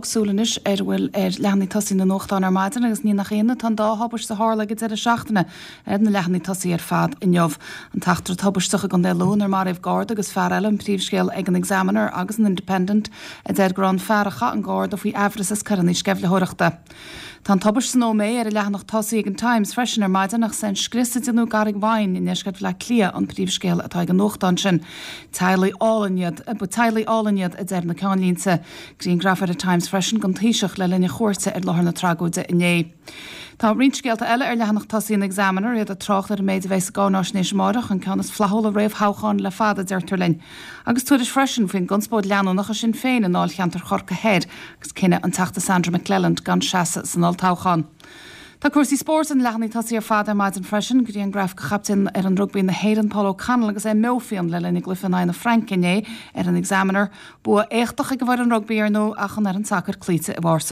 súil anois ar a bhfuil ar leathanaigh tosaigh na nuachtán ar maidin agus ní nach ionadh tá an dá thubaiste a tharla ag an deireadh seachtaine ar na leathanaigh tosaigh ar fad inniu. An t-eachtra tubaisteach i gContae Lú inar maraíodh Garda agus fear eile an príomhscéal ag an Examiner agus an Independent a deir go raibh an fear a chaith an Garda faoi aimhreas as coireanna sceimhlitheoireachta. Tá an tubaist san Ómaigh ar an leathanach tosaigh ag an Times freisin ar maidin ach is é an scrios a déanadh i gCarraig Mhaighin i ndeisceart Bhaile Átha Cliath an príomhscéal atá ag an nuachtán sin. Teaghlaigh álainn iad, ba teaghlaigh álainn iad a deir na ceannlínte. Grianghraf ar an Times freisin den Taoiseach le linn a chuairte ar láthair na tragóide inné. Tá roinnt scéalta eile ar leathanach tosaigh an Examiner, iad ag trácht ar an méid a bheidh sa gcáináisnéis amáireach, an ceann is flaithiúla réamhthoghcháin le fada, a deirtear linn. Agus tuairisc freisin faoin gconspóid leanúnach i Sinn Féin i ndáilcheantar Chorcaí Thoir agus cinneadh an Teachta Sandra McLelland gan seasamh san olltoghchán. Tá cúrsaí spóirt ar na leathanaigh tosaigh ar fad ar maidin freisin, grianghraf de chaptaen fhoireann rugbaí na hÉireann Paul O'Connell agus é meo fiáin le linn a gcluiche in aghaidh na Fraince inné ar an Examiner. Bua éachtach ag an bhfoireann rugbaí ar ndóigh ach an fhoireann sacair cloíte i bPáirc.